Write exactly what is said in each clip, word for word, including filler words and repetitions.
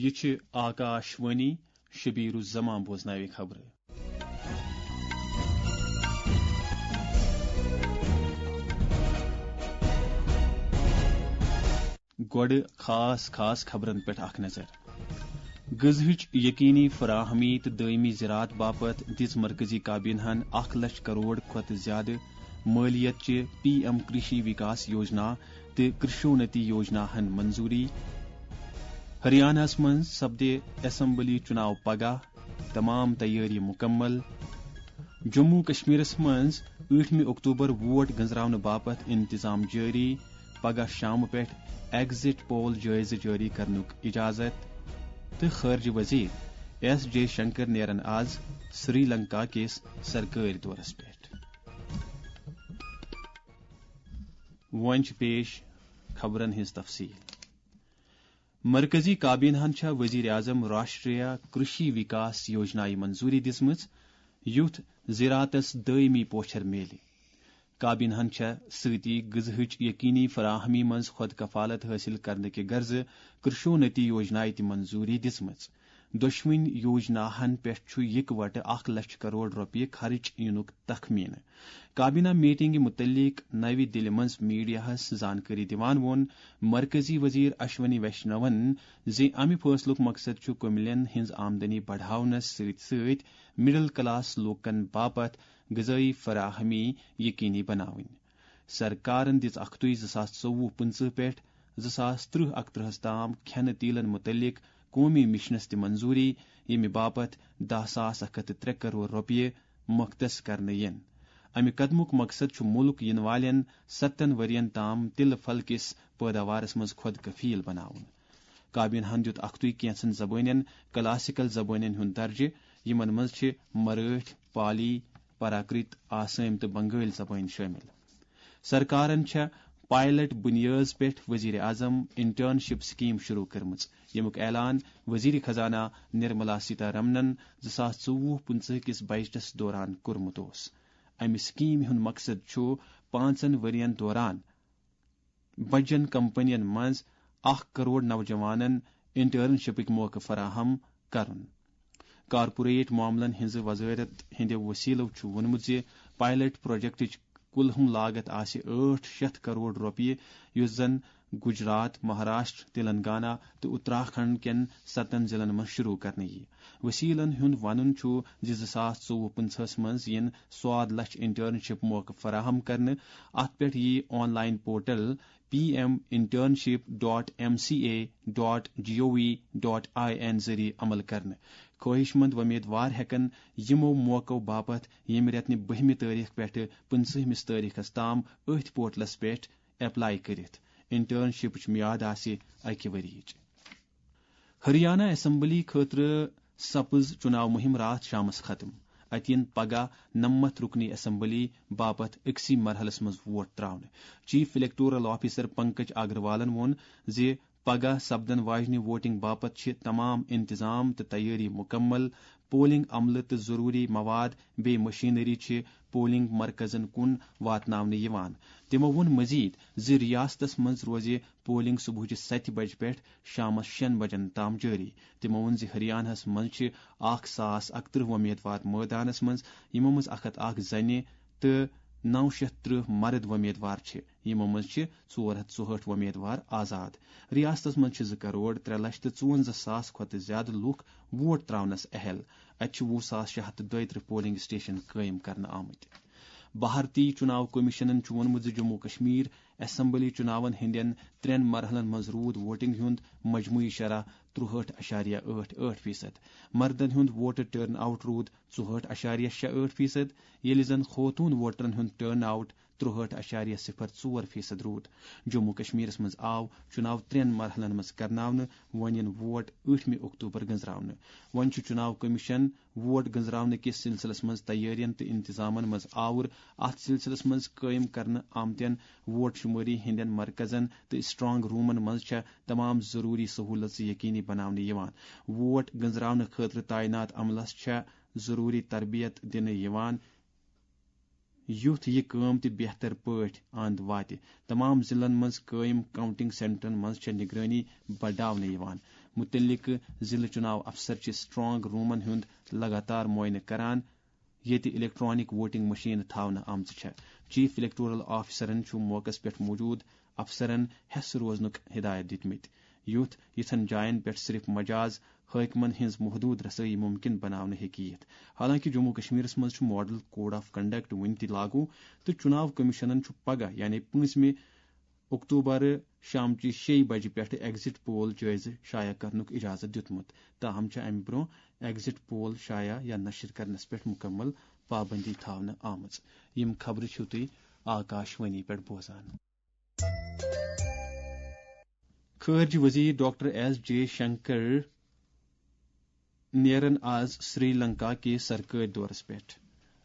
یہِ چھِ آکاش وانی، شبیر الزمان بوزناوِ خبرٕ۔ گۄڈٕ خاص خاص خبرن پٮ۪ٹھ اکھ نظر۔ غذہٕچ یقینی فراہمی تہٕ دٲیمی زراعت باپتھ دِژ مرکزی کابینہن اکھ لچھ کرور کھۄتہٕ زیادٕ مٲلیت چہِ پی ایم کرشی وکاس یوجنا تہٕ کرشونتی یوجناہن منظوری۔ ہریانہس منٛز سپدِ اسمبلی چُناو پگاہ، تمام تیٲری مکمل۔ جموں کشمیرس منٛز ٲٹھمہِ اکتوبر ووٹ گنزراونہٕ باپتھ انتظام جٲری، پگاہ شامہٕ پٮ۪ٹھ ایگزٹ پول جٲیزٕ جٲری کرنُک اجازت۔ تہٕ خارجہ وزیر ایس جے شنکر نیرن آز سری لنکا کِس سرکٲرۍ دورس پٮ۪ٹھ۔ وۄنۍ چھِ پیش خبرن ہٕنٛز تفصیل۔ مرکزی کابینہن چھےٚ وزیر اعظم راشٹریہ کرشی وکاس یوجنایہِ منظوری دِژمٕژ، یُتھ زراعتس دٲیمی پوچھر میلہِ۔ کابینہن چھےٚ سۭتی غذہٕچ یقینی فراہمی منٛز خود کفالت حٲصِل کرنہٕ کہِ غرضہٕ کرشونتی یوجنایہِ تہِ منظوری دِژمٕژ۔ دۄشوٕنۍ یوجناہن پٮ۪ٹھ چھُ یکوٹہٕ اکھ لچھ کرور رۄپیہِ خرٕچ یِنُک تخمینہٕ۔ کابینہ میٹنگہِ مُتعلق نَوِ دِلہِ منٛز میڈیاہَس زانکٲری دِوان ووٚن مرکزی وزیر اشونی ویشنون زِ امہِ فٲصلُک مقصد چھُ کُملین ہٕنٛز آمدنی بڑاونس سۭتۍ سۭتۍ مڈل کلاس لوٗکن باپتھ غذٲیی فراہمی یقینی بناوٕنۍ۔ سرکارن دِژ اکھتُے زٕ ساس ژوٚوُہ پٕنٛژٕہ پٮ۪ٹھ زٕ ساس ترٕٛہ اکترٕہس تام کھٮ۪نہٕ تیٖلن مُتعلق قومی مشنس تہِ منظوری، ییٚمہِ باپتھ دَہ ساس اکھ ہتھ تہٕ ترٛےٚ کرور رۄپیہِ مختص کرنہٕ یِن۔ امہِ قدمُک مقصد چھُ مُلک یِنہٕ والٮ۪ن ستن ؤرین تام تِلہٕ پھل کِس پٲداوارس منٛز خۄد کفیل بناوُن۔ کابینہن دیُت اکھتُے کینٛژن زبٲنٮ۪ن کلاسیکل زبٲنٮ۪ن ہُنٛد درجہٕ، یِمن منٛز چھِ مرٲٹھۍ، پالی، پراکرت، آسٲمۍ تہٕ بنگٲلۍ زبٲنۍ شٲمِل۔ سرکارن چھےٚ پائلٹ بنیٲز پٮ۪ٹھ وزیر اعظم انٹرنشپ سکیم شروع کٔرمٕژ، ییٚمیُک اعلان وزیر خزانہ نرملا سیتارمنن زٕ ساس ژوٚوُہ پٕنٛژٕہ کِس بجٹس دوران کوٚرمُت اوس۔ امہِ سکیمہِ ہُنٛد مقصد چھُ پانٛژن ؤرین دوران بجن کمپنین منٛز اکھ کرور نوجوانن انٹرنشپٕکۍ موقعہٕ فراہم کرُن۔ کارپوریٹ معاملن ہٕنٛزِ وزارت ہٕنٛدِ وسیلو چھُ ووٚنمُت زِ پائلٹ پروجیکٹٕچ کُلہُم لاگت آسہِ ٲٹھ شیٚتھ کرور رۄپیہِ، یُس زن گجرات، مہاراشٹر، تلنگانہ تہٕ اتراکھنڈ کٮ۪ن ستن ضلعن منٛز شروع کرنہٕ یِیہِ۔ وسیلن ہُنٛد ونُن چھُ زِ زٕ ساس ژوٚوُہ پٕنٛژٕہس منٛز یِن سواد لچھ انٹرنشپ موقعہٕ فراہم کرنہٕ۔ اتھ پٮ۪ٹھ یِیہِ online portal P M internship dot M C A dot G O V dot I N ذٔریعہٕ عمل کرنہٕ۔ خٲہِش مند وۄمیدوار ہٮ۪کن یِمو موقعو باپتھ ییٚمہِ رٮ۪تہٕ نہِ بٔہمہِ تٲریخ پٮ۪ٹھٕ پٕنٛژٕہمِس تٲریخس تام أتھۍ پورٹلس پٮ۪ٹھ ایپلائی کٔرِتھ۔ انٹرنشپٕچ میعاد آسہِ اکہِ ؤرِیِچ۔ ہریانہ اسمبلی خٲطرٕ سپٕز چُناو مُہِم راتھ شامس ختم۔ اَتہِ یِن پگاہ نَمَتھ رُکنی اسمبلی باپتھ أکسٕے مرحلس منٛز ووٹ تراونہٕ۔ چیف الیکٹورل آفیسر پنکج اگروالن ووٚن زِ پگاہ سپدن واجنہِ ووٹنگ باپتھ چھِ تمام انتظام تہٕ تیٲری مکمل۔ پولنگ عملہٕ تہٕ ضروری مواد بیٚیہِ مشینری چھِ پولنگ مرکزن کُن واتناونہٕ یِوان۔ تِمو ووٚن مزید زِ ریاستس منٛز روزِ پولنگ صبحٕچہِ ستہِ بجہِ پٮ۪ٹھ شامس شیٚن بجن تام جٲری۔ تِمو ووٚن زِ ہریانہس منٛز چھِ اکھ ساس اکترٕہ وۄمیدوار مٲدانس منٛز، یِمو منٛز اکھ ہتھ اکھ زنہِ تہٕ نو شیٚتھ ترٕٛہ مرد وۄمیدوار چھِ، یِمو منٛز چھِ ژور ہتھ ژُہٲٹھ وۄمیدوار آزاد۔ ریاستس منٛز چھِ زٕ کرور ترٛےٚ لچھ تہٕ ژُوَنزاہ ساس کھۄتہٕ زِیٛادٕ لوٗکھ ووٹ تراونس اہل۔ اتہِ چھِ وُہ ساس شےٚ ہتھ تہٕ دۄیہِ ترٕٛہ پولنگ سٹیشن قٲیِم کرنہٕ آمٕتۍ۔ بھارتی چُناو کمیشنن چھُ ووٚنمُت زِ جموں کشمیر اسمبلی چُناون ہٕنٛدٮ۪ن ترٛٮ۪ن مرحلن منٛز روٗد ووٹنگ ہُنٛد مجموعی شرح ترُہٲٹھ اَشاریہ ٲٹھ ٲٹھ فیصد۔ مردن ہُنٛد ووٹر ٹرن آؤٹ روٗد ژُہٲٹھ اَشاریہ شےٚ ٲٹھ فیصد، ییٚلہِ زن خوتوٗن ووٹرن ہُنٛد ٹرن آؤٹ ترُہٲٹھ اَشاریہ صفر ژور فیصد روٗد۔ جموں کشمیرس منٛز آو چُناو ترٛٮ۪ن مرحلن منٛز کرناونہٕ، وۄنۍ یِن ووٹ ٲٹھمہِ اکتوبر گنزراونہٕ۔ وۄنۍ چھُ چُناو کمیشن ووٹ گنزراونہٕ کِس سلسلس منٛز تیٲرین تہٕ انتظامن منٛز آوُر۔ اتھ سلسلس منٛز قٲیِم کرنہٕ آمتٮ۪ن ووٹ شمٲری ہٕنٛدٮ۪ن مرکزن تہٕ اسٹرانگ رومن منٛز چھےٚ تمام ضروری سہولژٕ یقینی بناونہٕ یِوان۔ ووٹ گنزراونہٕ خٲطرٕ تعینات عملس چھےٚ ضروری تربیت دِنہٕ یِوان، یُتھ یہِ کٲم تہِ بہتر پٲٹھۍ اند واتہِ۔ تمام ضلعن منٛز قٲیِم کاؤنٹنگ سینٹرن منٛز چھےٚ نگرٲنی بڑاونہٕ یِوان۔ متعلقہٕ ضلعہٕ چُناو افسر چھِ سٹرانگ رومن ہُنٛد لگاتار معائنہٕ کران، ییٚتہِ الیکٹرانک ووٹنگ مشین تھاونہٕ آمژٕ چھےٚ۔ چیف الیکٹورل آفیسرن چھُ موقعس پٮ۪ٹھ موجود افسرن حیس روزنُک ہدایت دِتمٕتۍ، یُتھ یِژھن جاین پٮ۪ٹھ صرف مجاز حٲکمن ہٕنٛز محدود رسٲیی ممکن بناونہٕ ہیٚکہِ یِتھ۔ حالانکہِ جموں کشمیرس منٛز چھُ ماڈل کوڈ آف کنڈکٹ وُنہِ تہِ لاگو، تہٕ چُناو کمیشنن چھُ پگاہ، یعنی پٲنٛژمہِ اکتوبر، شامچہِ شیٚیہِ بجہِ پٮ۪ٹھٕ ایگزٹ پول جٲیزٕ شایع کرنُک اجازت دیُتمُت۔ تاہم چھِ امہِ برونٛہہ ایگزٹ پول شایع یا نشر کرنس پٮ۪ٹھ مکمل پابندی تھاونہٕ آمٕژ۔ یِم خبرٕ چھِو تُہۍ آکاش وانی پٮ۪ٹھ بوزان۔ خارجہ وزیر ڈاکٹر ایس جے شنکر نیرن آز سری لنکا کِس سرکٲرۍ دورس پٮ۪ٹھ۔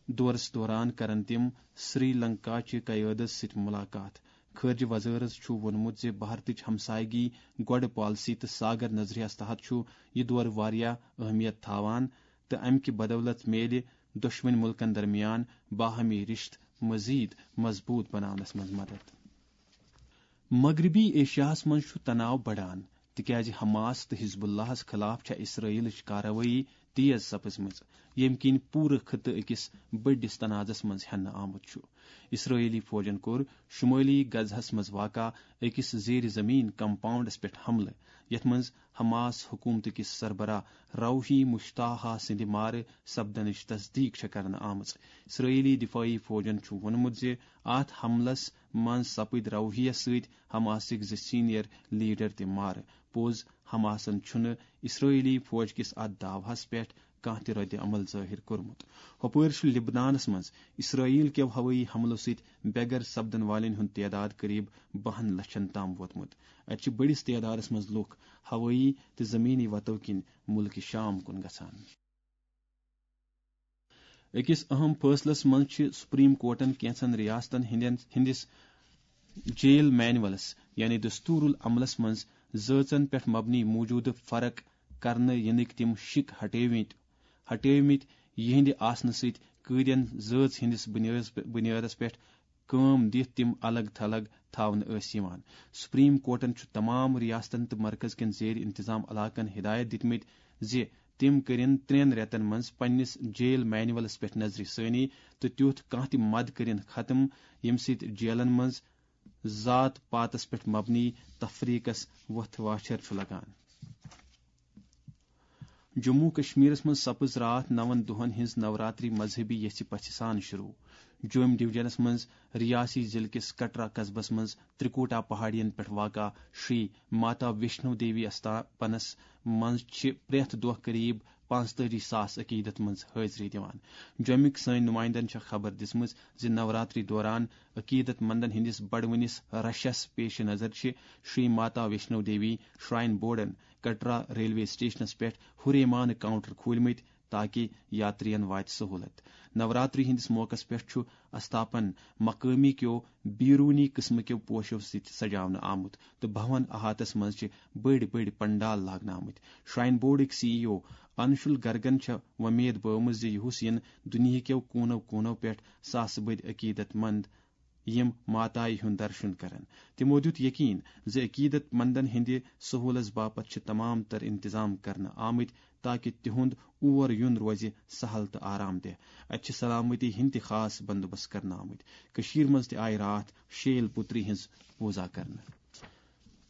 دورس دوران کرن تِم سری لنکا چہِ قیادس سۭتۍ ملاقات۔ خارجہ وزارت چھُ ووٚنمُت زِ بھارتٕچ ہمسایگی گۄڈٕ پالیسی تہٕ ساگر نظریہس تحت چھُ یہِ دورٕ واریاہ اہمیت تھاوان تہٕ امہِ کہِ بدولت میلہِ دۄشوٕنۍ مُلکن درمیان باہمی رشتہٕ مزید مضبوط بناونس منٛز مدد۔ مغربی ایشیاہس منٛز چھُ تناو بڑان، تِکیازِ حماس تہٕ حزب اللہس خلاف چھےٚ اسرائیلٕچ کاروٲیی تیز سپٕزمٕژ، ییٚمہِ کِنۍ پوٗرٕ خطہٕ أکِس بٔڑِس تنازس منٛز ہٮ۪نہٕ آمُت چھُ۔ اسرائیلی فوجن کوٚر شمٲلی غزہس منٛز واقع أکِس زیر زمین کمپاؤنڈس پٮ۪ٹھ حملہٕ، یتھ منٛز حماس حکومتہٕ کِس سربراہ روحی مشتاحا سٕنٛدِ مارٕ سپدنٕچ تصدیق چھےٚ کرنہٕ آمٕژ۔ اسرائیلی دفاعی فوجن چھُ ووٚنمُت زِ اتھ حملس منٛز سپٕدۍ روحیہ سۭتۍ حماسٕکۍ زٕ سینئر لیڈر تہِ مارٕ۔ پوٚز، حماسن چھُنہٕ اسرائیلی فوج کِس اتھ دعوہس پٮ۪ٹھ کانٛہہ تہِ رد عمل ظٲہِر کوٚرمُت۔ ہۄپٲرۍ چھُ لبنانس منٛز اسرائیل کیو ہوٲیی حملو سۭتۍ بے گھر سپدن والٮ۪ن ہُنٛد تعداد قریب بَہَن لچھن تام ووتمُت۔ اتہِ چھِ بٔڑِس تعدادس منٛز لوٗکھ ہوٲیی تہٕ زمینی وتو کِنۍ مُلکہِ شام کُن گژھان۔ أکِس اہم فٲصلَس منٛز چھِ سپریم کورٹَن کینٛژھن ریاستَن ہٕنٛدٮ۪ن، ہٕنٛدِس جیل مینولَس، یعنی دستور العملَس منٛز زٲژَن پٮ۪ٹھ مبنی موجودٕ فرق کرنہٕ یِنٕکۍ تِم شِک ہٹٲومٕتۍ، ہٹٲومٕتۍ یِہنٛدِ آسنہٕ سۭتۍ قٲدٮ۪ن زٲژ ہٕنٛدِس بُنیٲدَس، بُنیٲدَس پٮ۪ٹھ کٲم دِتھ تِم الگ تھلگ تھاونہٕ ٲسۍ یِوان۔ سپریم کورٹَن چھُ تمام ریاستَن تہٕ مرکز کٮ۪ن زیر انتظام علاقَن ہدایت دِتمٕتۍ زِ تِم کٔرِن ترٛٮ۪ن رٮ۪تَن منٛز پننِس جیل مینولَس پٮ۪ٹھ نظرِ ثٲنی تہٕ تیُتھ کانٛہہ تہِ مد کٔرِن ختم، ییٚمہِ سۭتۍ جیلَن منٛز ذات پاتَس پٮ۪ٹھ مبنی تفریقَس وۄتھ واچھر چھُ لگان۔ جموں کشمیرس منٛز سپٕز راتھ نَوَن دۄہَن ہٕنٛز نوراتری مذہبی یژھِ پژھِ سان شروع۔ جوٚم ڈویژنس منٛز ریاسی ضلعہٕ کِس کٹرا قصبس منٛز ترکوٹا پہاڑین پٮ۪ٹھ واقع شری ماتا ویشنو دیوی استاپنس منٛز چھِ پرٛٮ۪تھ دۄہ قریب پانٛژتٲجی ساس عقیدت مند حٲضری دِوان۔ جوٚمِکۍ سٲنۍ نُمایندن چھےٚ خبر دِژمٕژ زِ نوراتری دوران عقیدت مندن ہٕنٛدِس بڑوٕنِس رشس پیش نظر چھِ Shri Mata Vaishno Devi shrine Borden Katra railway سٹیشنس پٮ۪ٹھ ہُریمانہٕ کاؤنٹر کھوٗلمٕتۍ، تاکہ یاترین واتہِ سہولت۔ نوراتری ہٕنٛدِس موقعس پٮ۪ٹھ چھُ استاپن مقٲمی کیو بیرونی قٕسمہٕ کیو پوشو سۭتۍ سجاونہٕ آمُت تہٕ بھون احاطس منٛز چھِ بٔڑۍ بٔڑۍ پنڈال لاگنہٕ آمٕتۍ۔ شراین بورڈٕکۍ سی ای او انشول گرگن چھےٚ وۄمید بٲومٕژ زِ یُہُس یِن دُنیہکیو کوٗنو کوٗنو پٮ۪ٹھ ساسہٕ بٔدۍ عقیدت مند یِم ماتایہِ ہُنٛد درشُن کرن۔ تِمو دیُت یقین زِ عقیدت مندن ہٕنٛدِ سہولس باپتھ چھِ تمام تر انتظام کرنہٕ آمٕتۍ، تاکہ تِہُنٛد اور یُن روزِ سہل تہٕ آرام دہ۔ اتہِ چھِ سلامتی ہٕنٛدۍ تہِ خاص بندوبست کرنہٕ آمٕتۍ۔ کٔشیٖر منٛز تہِ آیہِ راتھ شیل پُتری ہٕنٛز پوٗزا کرنہٕ۔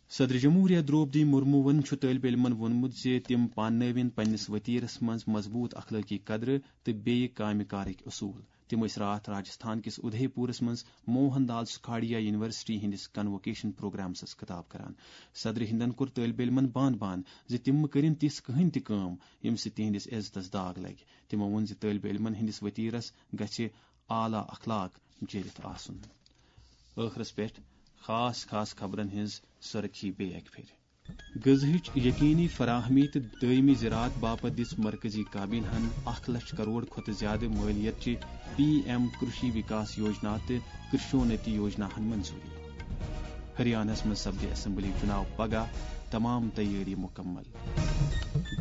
صدر جمہوریہ درٛوپدی مُرموٗوَن چھُ طٲلبِ علمَن ووٚنمُت زِ تِم پاننٲوِن پننِس ؤتیرَس منٛز مضبوٗط اخلٲقی قدرٕ تہٕ بیٚیہِ کامہِ کارٕکۍ اصوٗل۔ تِم ٲسۍ راتھ راجستھان کِس اُدھے پوٗرَس منٛز موہن دال سُکھاڑیا یونیورسٹی ہٕنٛدِس کنووکیشن پروگرامسَس خطاب کران۔ صدرِ ہِندَن کوٚر طٲلبِ علمَن بان بان زِ تِم مہٕ کٔرِن تِژھ کٕہٕنۍ تہِ کٲم، ییٚمہِ سۭتۍ تِہنٛدِس عزتَس داغ لگہِ۔ تِمَو ووٚن زِ طٲلبِ علمَن ہٕنٛدِس ؤتیرَس گژھِ اعلیٰ اخلاق جٲرِتھ آسُن۔ ٲخرس پٮ۪ٹھ خاص خاص خبرن ہٕنٛز سرخی بیٚیہِ اکہِ پھِرِ۔ غذہٕچ یقینی فراہمی تہٕ دٲیمی زراعت باپتھ دِژ مرکزی کابینہن اکھ لچھ کرور کھۄتہٕ زیادٕ مٲلیت چہِ پی ایم کرشی وکاس یوجنا تہٕ کرشونتی یوجناہن منظوری۔ ہریانہس منٛز سپدِ اسمبلی چُناو پگاہ، تمام تیٲری مکمل۔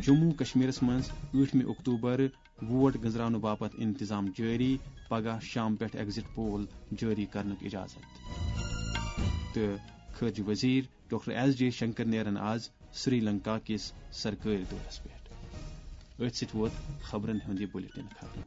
جموں کشمیرس منٛز ٲٹھمہِ اکتوبر ووٹ گنزراونہٕ باپتھ انتظام جٲری، پگاہ شام پٮ۪ٹھ ایگزٹ پول جٲری کرنُک اجازت۔ تہٕ خارجہ وزیر ڈاکٹر ایس جے شنکر نیرن آز سری لنکا کِس سرکٲرۍ دورس پٮ۪ٹھ۔ أتھۍ سۭتۍ ووت خبرن ہُنٛد یہِ بُلٹن ختم۔